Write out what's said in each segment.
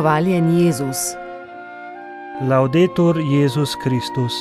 Hvaljen Jezus. Laudetur Jezus Kristus.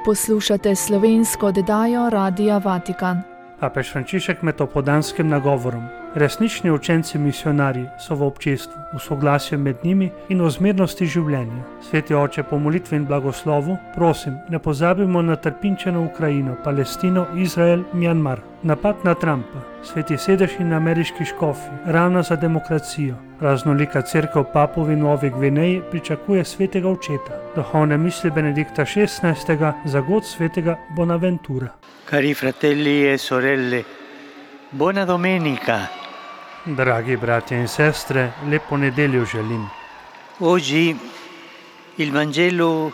Poslušate slovensko oddajo Radia Vatikan. Papež Frančišek med opoldanskim nagovorom. Resnični učenci misionarji so v občestvu, v soglasju med njimi in o zmernosti življenja. Sveti oče, po molitvi in blagoslovu, prosim, ne pozabimo na trpinčeno Ukrajino, Palestino, Izrael, Mjanmar. Napad na Trumpa, sveti sedež in ameriški škofi, ravno za demokracijo. Raznolika cerkev Papuvi Novi Gvineji pričakuje svetega očeta. Duhovne misli Benedikta XVI. Za god svetega Bonaventura. Cari fratelli e sorelle, buona domenica. Dragi bratje in sestre, lepo nedeljo želim. Oggi il Vangelo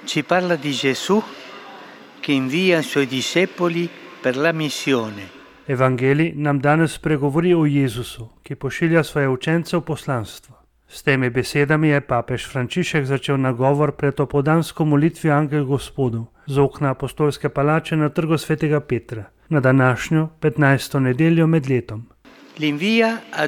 ci parla di Gesù che invia i suoi discepoli per la missione. Evangelij nam danes pregovori o Jezusu, ki pošilja svoje učence v poslanstvo. S temi besedami je papež Frančišek začel nagovor pred opoldansko molitvijo Angel Gospodov z okna apostolske palače na trgu svetega Petra, na današnjo 15. nedeljo med letom. L'invia a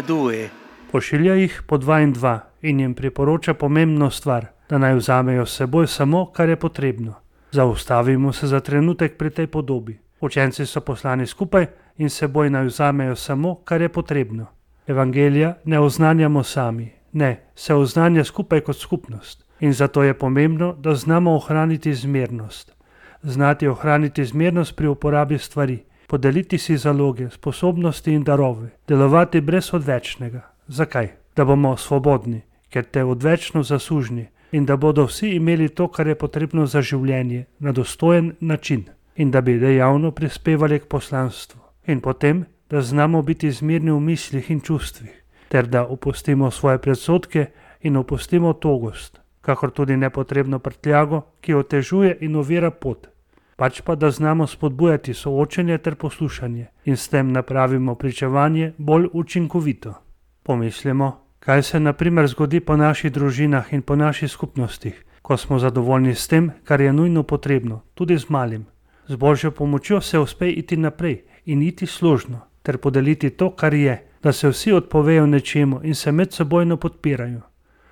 due. Pošilja jih po dva in dva in jim priporoča pomembno stvar, da naj vzamejo s seboj samo, kar je potrebno. Zaustavimo se za trenutek pri tej podobi. Učenci so poslani skupaj in s seboj naj vzamejo samo, kar je potrebno. Evangelija ne oznanjamo sami, ne, se oznanja skupaj kot skupnost. In zato je pomembno, da znamo ohraniti zmernost. Znati ohraniti zmernost pri uporabi stvari, podeliti si zaloge, sposobnosti in darove, delovati brez odvečnega. Zakaj? Da bomo svobodni, ker te odvečno zaslužni in da bodo vsi imeli to, kar je potrebno za življenje, na dostojen način in da bi dejavno prispevali k poslanstvu. In potem, da znamo biti zmirni v mislih in čustvih, ter da opustimo svoje predsodke in opustimo togost, kakor tudi nepotrebno prtljago, ki otežuje in ovira pot. Pač pa, da znamo spodbujati soočenje ter poslušanje in s tem napravimo pričevanje bolj učinkovito. Pomislimo, kaj se na primer zgodi po naših družinah in po naših skupnostih, ko smo zadovoljni s tem, kar je nujno potrebno, tudi z malim. Z Božjo pomočjo se uspe iti naprej in iti složno, ter podeliti to, kar je, da se vsi odpovejo nečemu in se medsebojno podpirajo.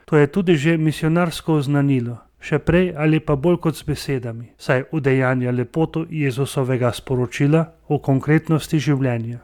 To je tudi že misionarsko oznanilo, še prej ali pa bolj kot z besedami, saj udejanja lepoto Jezusovega sporočila o konkretnosti življenja.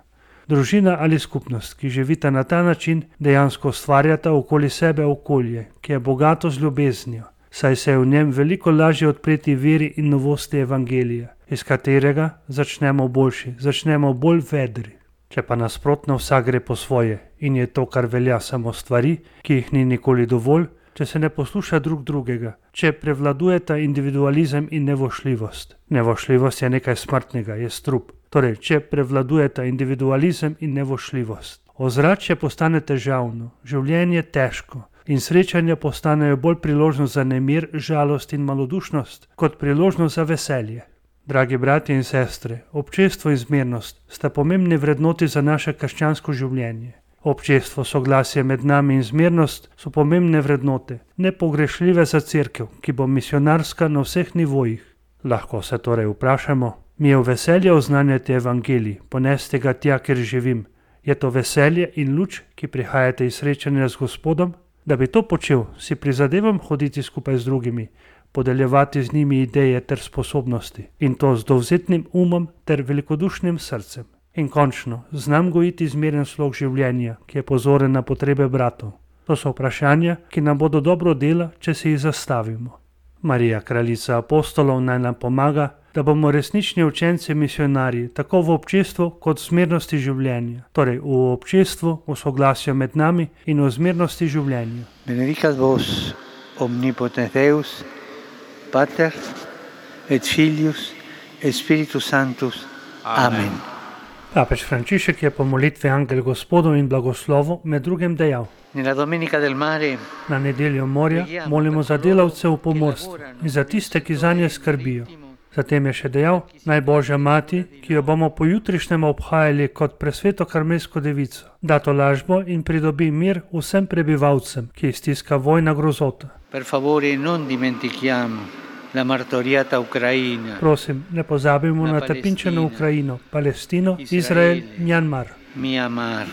Družina ali skupnost, ki živita na ta način, dejansko ustvarjata okoli sebe okolje, ki je bogato z ljubeznijo, saj se je v njem veliko lažje odpreti veri in novosti evangelija, iz katerega začnemo boljši, začnemo bolj vedri. Če pa nasprotno vsak gre po svoje in je to, kar velja, samo stvari, ki jih ni nikoli dovolj, če se ne posluša drug drugega, če prevladujeta individualizem in nevošljivost. Nevošljivost je nekaj smrtnega, je strup. Torej, če prevladujeta individualizem in nevošljivost. Ozračje postane težavno, življenje težko in srečanja postanejo bolj priložnost za nemir, žalost in malodušnost, kot priložnost za veselje. Dragi bratje in sestre, občestvo in zmernost sta pomembni vrednoti za naše krščansko življenje. Občestvo, soglasje med nami in zmernost so pomembne vrednote, nepogrešljive za cerkev, ki bo misionarska na vseh nivojih. Lahko se torej vprašamo, mi je v veselje oznanjati evangelij, ponesti ga tja, kjer živim. Je to veselje in luč, ki prihajate iz srečanja z Gospodom? Da bi to počel, si prizadevam hoditi skupaj z drugimi, podeljevati z njimi ideje ter sposobnosti in to z dovzetnim umom ter velikodušnim srcem. In končno, znam gojiti zmeren slog življenja, ki je pozoren na potrebe bratov. To so vprašanja, ki nam bodo dobro dela, če se jih zastavimo. Marija, kraljica apostolov, naj nam pomaga, da bomo resnični učenci misionarji, tako v občestvu kot v zmernosti življenja, torej v občestvu, v soglasju med nami in v zmernosti življenja. Benedicat vos omnipotens Deus, Pater et Filius et Spiritus Sanctus. Amen. Papež Frančišek je po molitvi Angel Gospodov in blagoslovu med drugim dejal: Nella Domenica del Mare na nedeljo morja molimo za delavce v pomorstvu in za tiste, ki zanje skrbijo. Zatem je še dejal: naj Božja mati, ki jo bomo pojutrišnjem obhajali kot presveto karmelsko devico, da tolažbo in pridobi mir vsem prebivalcem, ki jih stiska vojna grozota. Per favore non dimentichiamo la martoriata Ucraina. Prosim, ne pozabimo na trpinčeno Ukrajino, Palestino, Izrael, Mjanmar. Myanmar.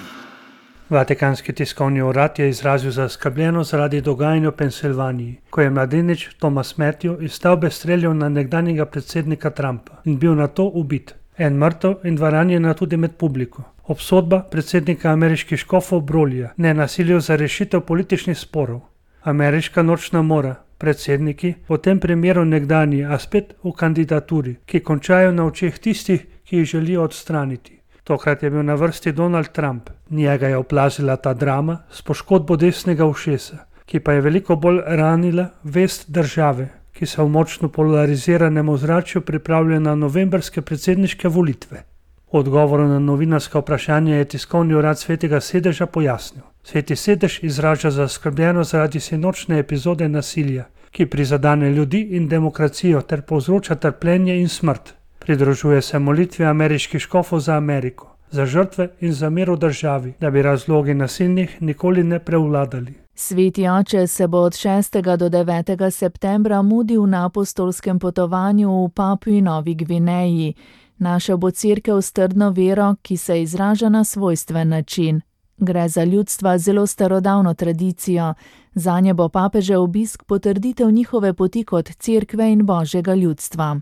Vatikanski tiskovni urad je izrazil zaskrbljenost zaradi dogajanja v Pensilvaniji, ko je mladenič Thomas Matthew iz stavbe streljal na nekdanjega predsednika Trumpa in bil nato ubit. En mrtev in 2 ranjena tudi med publiko. Obsodba predsednika ameriških škofov Brolija, ne nasilju za rešitev političnih sporov. Ameriška nočna mora, predsedniki, v tem primeru nekdanji, a spet v kandidaturi, ki končajo na očeh tistih, ki jih želijo odstraniti. Tokrat je bil na vrsti Donald Trump. Njega je oplazila ta drama s poškodbo desnega ušesa, ki pa je veliko bolj ranila vest države, ki se v močno polariziranem ozračju pripravlja na novembrske predsedniške volitve. V odgovoru na novinarska vprašanja je tiskovni urad Svetega sedeža pojasnil. Sveti sedež izraža zaskrbljenost zaradi sinočne epizode nasilja, ki prizadene ljudi in demokracijo ter povzroča trpljenje in smrt. Pridružuje se molitvi ameriških škofov za Ameriko, za žrtve in za mir v državi, da bi razlogi nasilnih nikoli ne prevladali. Sveti oče se bo od 6. do 9. septembra mudil na apostolskem potovanju v Papui Novi Gvineji. Našel bo cerkev s trdno vero, ki se izraža na svojstven način. Gre za ljudstva zelo starodavno tradicijo. Zanje bo papežev obisk potrditev njihove poti kot cerkve in božjega ljudstva.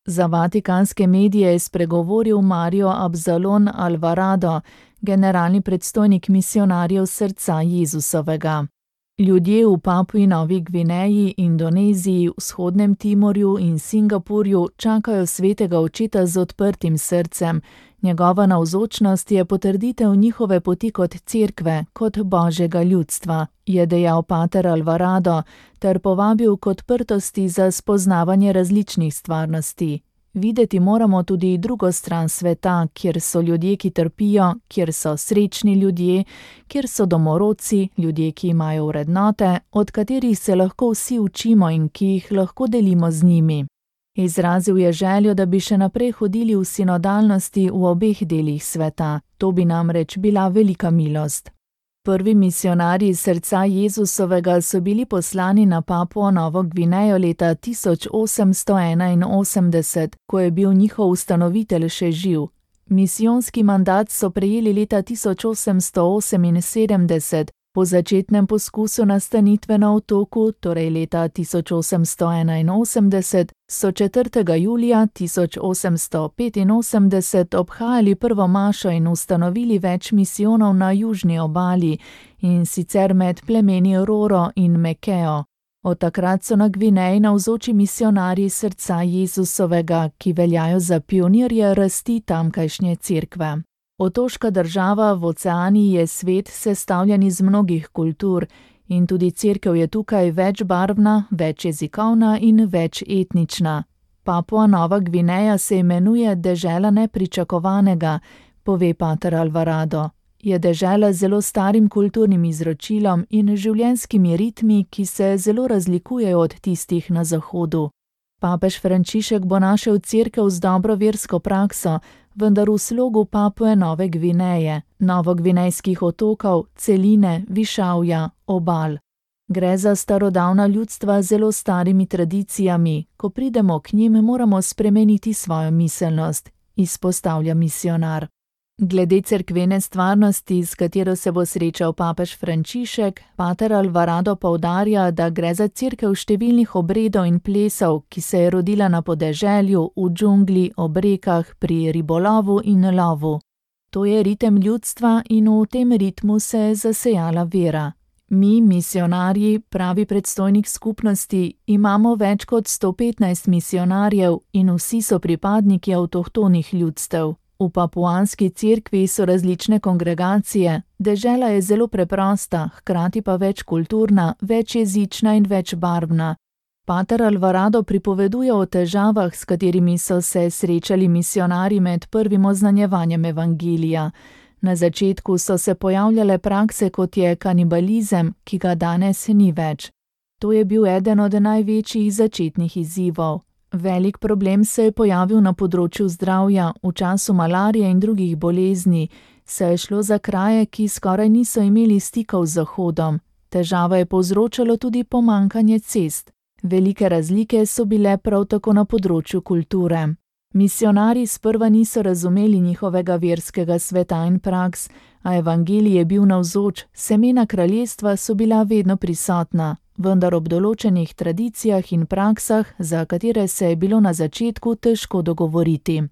Za vatikanske medije je spregovoril Mario Absalon Alvarado, generalni predstojnik misionarjev srca Jezusovega. Ljudje v Papui Novi Gvineji, Indoneziji, Vzhodnem Timorju in Singapurju čakajo svetega očeta z odprtim srcem. Njegova navzočnost je potrditev njihove poti kot cerkve, kot božjega ljudstva, je dejal pater Alvarado, ter povabil k odprtosti za spoznavanje različnih stvarnosti. Videti moramo tudi drugo stran sveta, kjer so ljudje, ki trpijo, kjer so srečni ljudje, kjer so domorodci, ljudje, ki imajo vrednote, od katerih se lahko vsi učimo in ki jih lahko delimo z njimi. Izrazil je željo, da bi še naprej hodili v sinodalnosti v obeh delih sveta. To bi namreč bila velika milost. Prvi misionarji srca Jezusovega so bili poslani na Papuo Novo Gvinejo leta 1881, ko je bil njihov ustanovitelj še živ. Misijonski mandat so prejeli leta 1878, po začetnem poskusu nastanitve na otoku, torej leta 1881, so 4. julija 1885 obhajali prvo mašo in ustanovili več misijonov na južni obali, in sicer med plemeni Roro in Mekeo. Od takrat so na Gvineji navzoči misionarji srca Jezusovega, ki veljajo za pionirje rasti tamkajšnje cerkve. Otoška država v oceaniji je svet sestavljen iz mnogih kultur in tudi cerkev je tukaj večbarvna, večjezikovna in večetnična. Papua Nova Gvineja se imenuje dežela nepričakovanega, pove pater Alvarado. Je dežela z zelo starim kulturnim izročilom in življenjskimi ritmi, ki se zelo razlikujejo od tistih na zahodu. Papež Frančišek bo našel cerkev z dobro versko prakso, vendar v slogu Papue Nove Gvineje, novogvinejskih otokov, celine, višavja, obal. Gre za starodavna ljudstva z zelo starimi tradicijami. Ko pridemo k njim, moramo spremeniti svojo miselnost, izpostavlja misionar. Glede cerkvene stvarnosti, s katero se bo srečal papež Frančišek, pater Alvarado poudarja, da gre za cerkev številnih obredov in plesov, ki se je rodila na podeželju, v džungli, ob rekah, pri ribolovu in lovu. To je ritem ljudstva in v tem ritmu se je zasejala vera. Mi, misionarji, pravi predstojnik skupnosti, imamo več kot 115 misionarjev in vsi so pripadniki avtohtonih ljudstev. V papuanski cerkvi so različne kongregacije, dežela je zelo preprosta, hkrati pa večkulturna, večjezična in večbarvna. Pater Alvarado pripoveduje o težavah, s katerimi so se srečali misionarji med prvim oznanjevanjem evangelija. Na začetku so se pojavljale prakse, kot je kanibalizem, ki ga danes ni več. To je bil eden od največjih začetnih izzivov. Velik problem se je pojavil na področju zdravja, v času malarije in drugih bolezni, saj je šlo za kraje, ki skoraj niso imeli stikov z Zahodom. Težava je povzročalo tudi pomanjkanje cest. Velike razlike so bile prav tako na področju kulture. Misionarji sprva niso razumeli njihovega verskega sveta in praks, A evangelij je bil navzoč, semena kraljestva so bila vedno prisotna, vendar ob določenih tradicijah in praksah, za katere se je bilo na začetku težko dogovoriti.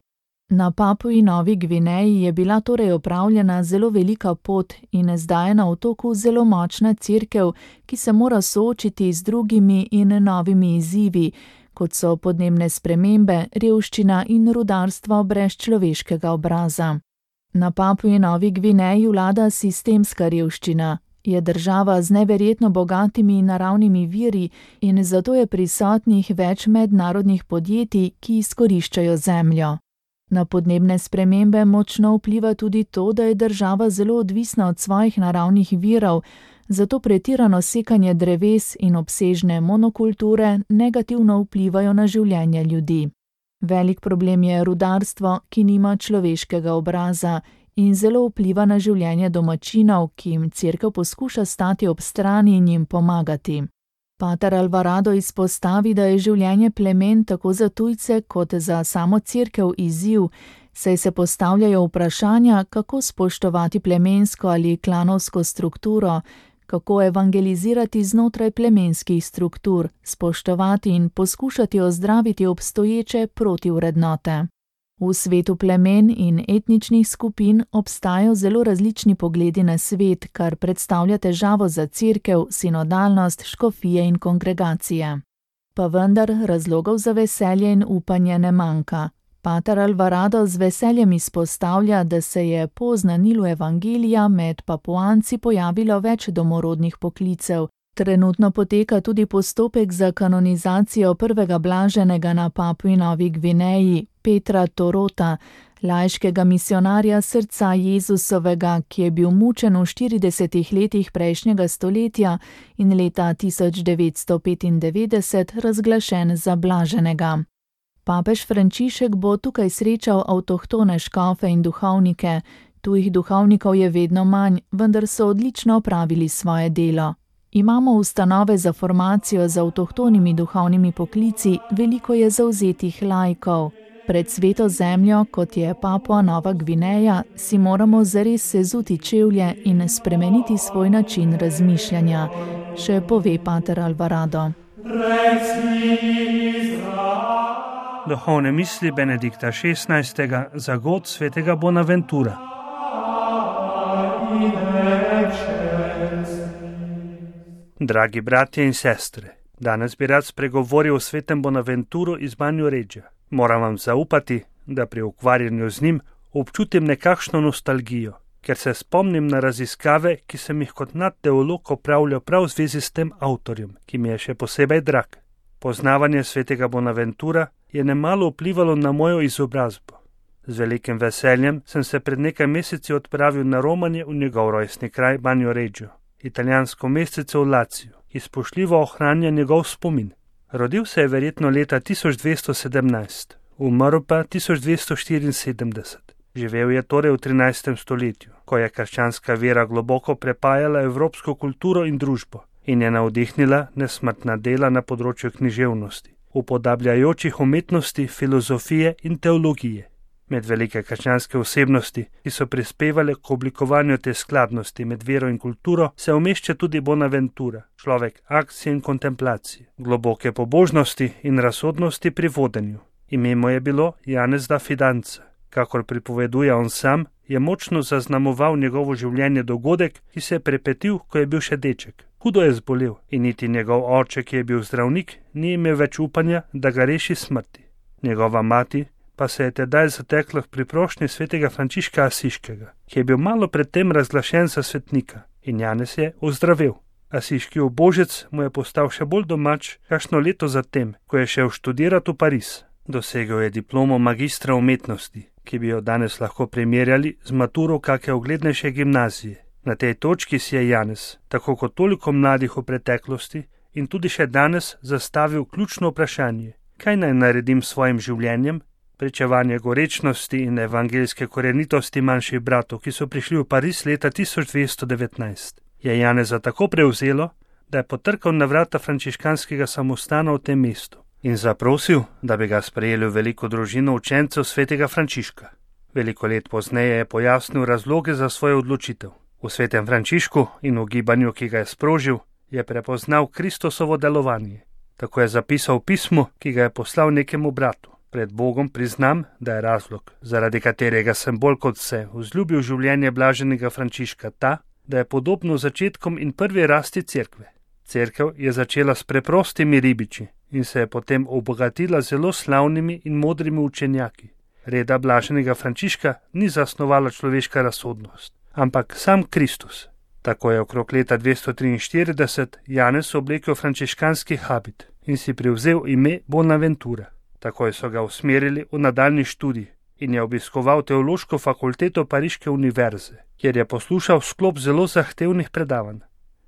Na Papui Novi Gvineji je bila torej opravljena zelo velika pot in zdaj je na otoku zelo močna cerkev, ki se mora soočiti z drugimi in novimi izzivi, kot so podnebne spremembe, revščina in rudarstvo brez človeškega obraza. Na Papui Novi Gvineji vlada sistemska revščina. Je država z neverjetno bogatimi naravnimi viri in zato je prisotnih več mednarodnih podjetij, ki izkoriščajo zemljo. Na podnebne spremembe močno vpliva tudi to, da je država zelo odvisna od svojih naravnih virov, zato pretirano sekanje dreves in obsežne monokulture negativno vplivajo na življenje ljudi. Velik problem je rudarstvo, ki nima človeškega obraza in zelo vpliva na življenje domačinov, ki jim cerkev poskuša stati ob strani in jim pomagati. Pater Alvarado izpostavi, da je življenje plemen tako za tujce kot za samo cerkev izziv, saj se postavljajo vprašanja, kako spoštovati plemensko ali klanovsko strukturo, kako evangelizirati znotraj plemenskih struktur, spoštovati in poskušati ozdraviti obstoječe protivrednote. V svetu plemen in etničnih skupin obstajajo zelo različni pogledi na svet, kar predstavlja težavo za cerkev, sinodalnost, škofije in kongregacije. Pa vendar razlogov za veselje in upanje ne manjka. Pater Alvarado z veseljem izpostavlja, da se je po oznanilu evangelija med Papuanci pojavilo več domorodnih poklicev. Trenutno poteka tudi postopek za kanonizacijo prvega blaženega na Papui Novi Gvineji, Petra Torota, laiškega misionarja srca Jezusovega, ki je bil mučen v 40 letih prejšnjega stoletja in leta 1995 razglašen za blaženega. Papež Frančišek bo tukaj srečal avtohtone škofe in duhovnike. Tujih duhovnikov je vedno manj, vendar so odlično opravili svoje delo. Imamo ustanove za formacijo z avtohtonimi duhovnimi poklici, veliko je zavzetih laikov. Pred sveto zemljo, kot je Papua Nova Gvineja, si moramo zares sezuti čevlje in spremeniti svoj način razmišljanja, še pove pater Alvarado. Duhovne misli Benedikta XVI. Za god svetega Bonaventura. Dragi bratje in sestre, danes bi rad spregovoril o svetem Bonaventuru iz Banjoreggia. Moram vam zaupati, da pri ukvarjanju z njim občutim nekakšno nostalgijo, ker se spomnim na raziskave, ki sem jih kot nadteolog opravljal prav v zvezi s tem avtorjem, ki mi je še posebej drag. Poznavanje svetega Bonaventura je nemalo vplivalo na mojo izobrazbo. Z velikim veseljem sem se pred nekaj meseci odpravil na romanje v njegov rojstni kraj Banjoreggio, italijansko mestece v Laciju, ki spoštljivo ohranja njegov spomin. Rodil se je verjetno leta 1217, umrl pa 1274. Živel je torej v 13. stoletju, ko je krščanska vera globoko prepajala evropsko kulturo in družbo in je navdihnila nesmrtna dela na področju književnosti, upodabljajočih umetnosti, filozofije in teologije. Med velike krščanske osebnosti, ki so prispevale k oblikovanju te skladnosti med vero in kulturo, se umešča tudi Bonaventura, človek akcije in kontemplacije, globoke pobožnosti in razsodnosti pri vodenju. Ime mu je bilo Janez da Fidanza. Kakor pripoveduje on sam, je močno zaznamoval njegovo življenje dogodek, ki se je prepetil, ko je bil še deček. Hudo je zbolel in niti njegov oče, ki je bil zdravnik, ni imel več upanja, da ga reši smrti. Njegova mati pa se je tedaj zatekla v priprošnji svetega Frančiška Asiškega, ki je bil malo predtem razglašen za svetnika, in Janez je ozdravel. Asiški ubožec mu je postal še bolj domač kakšno leto zatem, ko je šel študirati v Pariz. Dosegel je diplomo magistra umetnosti, ki bi jo danes lahko primerjali z maturo kake uglednejše gimnazije. Na tej točki si je Janez, tako kot toliko mladih v preteklosti in tudi še danes, zastavil ključno vprašanje: kaj naj naredim s svojim življenjem? Pričevanje gorečnosti in evangeljske korenitosti manjših bratov, ki so prišli v Pariz leta 1219, je Janeza tako prevzelo, da je potrkal na vrata frančiškanskega samostana v tem mestu in zaprosil, da bi ga sprejeli v veliko družino učencev svetega Frančiška. Veliko let pozneje je pojasnil razloge za svojo odločitev. V svetem Frančišku in v gibanju, ki ga je sprožil, je prepoznal Kristusovo delovanje. Tako je zapisal v pismu, ki ga je poslal nekemu bratu. Pred Bogom priznam, da je razlog, zaradi katerega sem bolj kot vse vzljubil življenje blaženega Frančiška ta, da je podobno začetkom in prvi rasti cerkve. Cerkev je začela s preprostimi ribiči in se je potem obogatila zelo slavnimi in modrimi učenjaki. Reda blaženega Frančiška ni zasnovala človeška razsodnost, ampak sam Kristus. Tako je okrog leta 243 Janez oblekel frančiškanski habit in si privzel ime Bonaventura. Takoj so ga usmerili v nadaljnji študij in je obiskoval teološko fakulteto Pariške univerze, kjer je poslušal sklop zelo zahtevnih predavanj.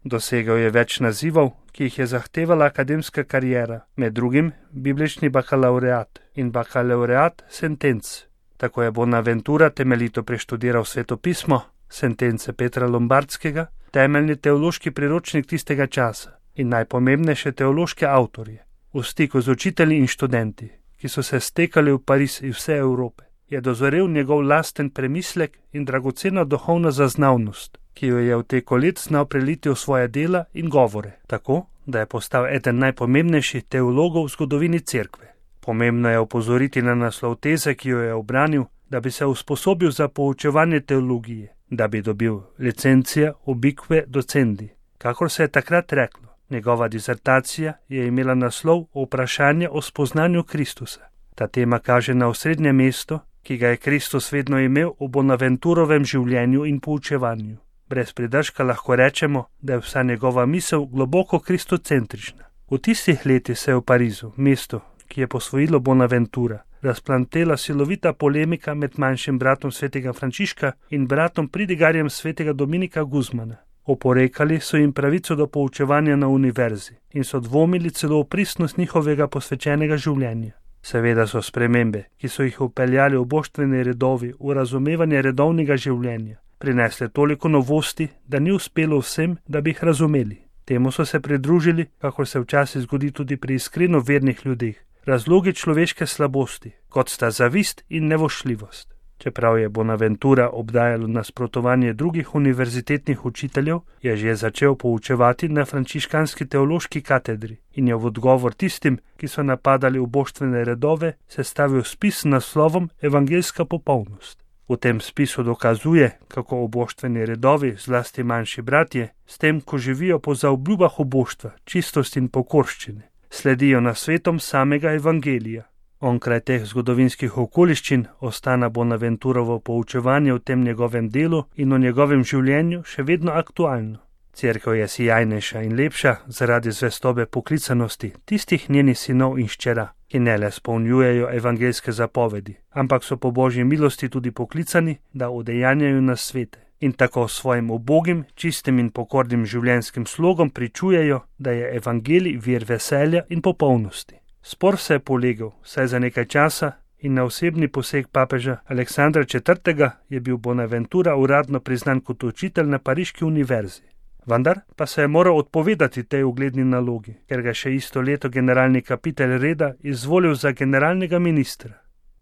Dosegel je več nazivov, ki jih je zahtevala akademska kariera, med drugim biblični bakalaureat in bakalaureat sentenc. Tako je Bonaventura temeljito preštudiral svetopismo, sentence Petra Lombardskega, temeljni teološki priročnik tistega časa in najpomembnejše teološke avtorje. V stiku z učitelji in študenti, ki so se stekali v Pariz iz vse Evrope, je dozorel njegov lasten premislek in dragocena duhovna zaznavnost, ki jo je v teku let znal preliti v svoje dela in govore, tako, da je postal eden najpomembnejših teologov v zgodovini cerkve. Pomembno je opozoriti na naslov teze, ki jo je obranil, da bi se usposobil za poučevanje teologije, da bi dobil licencija ubique docendi, kakor se je takrat reklo. Njegova disertacija je imela naslov Vprašanje o spoznanju Kristusa. Ta tema kaže na osrednje mesto, ki ga je Kristus vedno imel v Bonaventurovem življenju in poučevanju. Brez pridržka lahko rečemo, da je vsa njegova misel globoko kristocentrična. V tistih letih se je v Parizu, mestu, ki je posvojilo Bonaventura, razplantela silovita polemika med manjšim bratom svetega Frančiška in bratom pridigarjem svetega Dominika Guzmana. Oporekali so jim pravico do poučevanja na univerzi in so dvomili celo v pristnost njihovega posvečenega življenja. Seveda so spremembe, ki so jih vpeljali v boštveni redovi v razumevanje redovnega življenja, prinesle toliko novosti, da ni uspelo vsem, da bi jih razumeli. Temu so se pridružili, kakor se včasih zgodi tudi pri iskreno vernih ljudeh, razlogi človeške slabosti, kot sta zavist in nevošljivost. Čeprav je Bonaventura obdajalo nasprotovanje drugih univerzitetnih učiteljev, je že začel poučevati na frančiškanski teološki katedri in je v odgovor tistim, ki so napadali v boštvene redove, sestavil spis s naslovom Evangeljska popolnost. V tem spisu dokazuje, kako oboštveni redovi, zlasti manjši bratje, s tem, ko živijo po zaobljubah oboštva, čistosti in pokorščine, sledijo nasvetom samega evangelija. Onkraj teh zgodovinskih okoliščin ostana Bonaventurovo poučevanje v tem njegovem delu in o njegovem življenju še vedno aktualno. Cerkev je sijajnejša in lepša zaradi zvestobe poklicanosti tistih njenih sinov in hčera, ki ne le spolnjujejo evangeljske zapovedi, ampak so po Božji milosti tudi poklicani, da udejanjajo nasvete in tako svojim ubogim, čistim in pokornim življenjskim slogom pričujejo, da je evangelij vir veselja in popolnosti. Spor se je polegel, saj za nekaj časa in na osebni poseg papeža Aleksandra IV. Je bil Bonaventura uradno priznan kot učitelj na Pariški univerzi. Vendar pa se je moral odpovedati tej ugledni nalogi, ker ga še isto leto generalni kapitelj reda izvolil za generalnega ministra.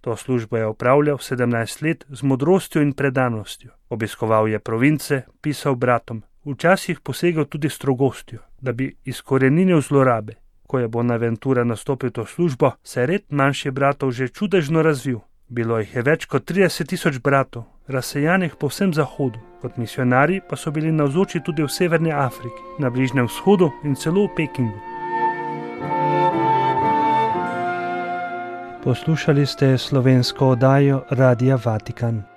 To službo je opravljal 17 let z modrostjo in predanostjo. Obiskoval je province, pisal bratom, včasih posegel tudi strogostjo, da bi izkoreninil zlorabe. Ko je Bonaventura nastopil to službo, se je red manjših bratov že čudežno razvil. Bilo jih je več kot 30.000 bratov, razsejanih po vsem zahodu, kot misionarji pa so bili navzoči tudi v Severni Afriki, na Bližnjem vzhodu in celo v Pekingu. Poslušali ste slovensko oddajo Radia Vatikan.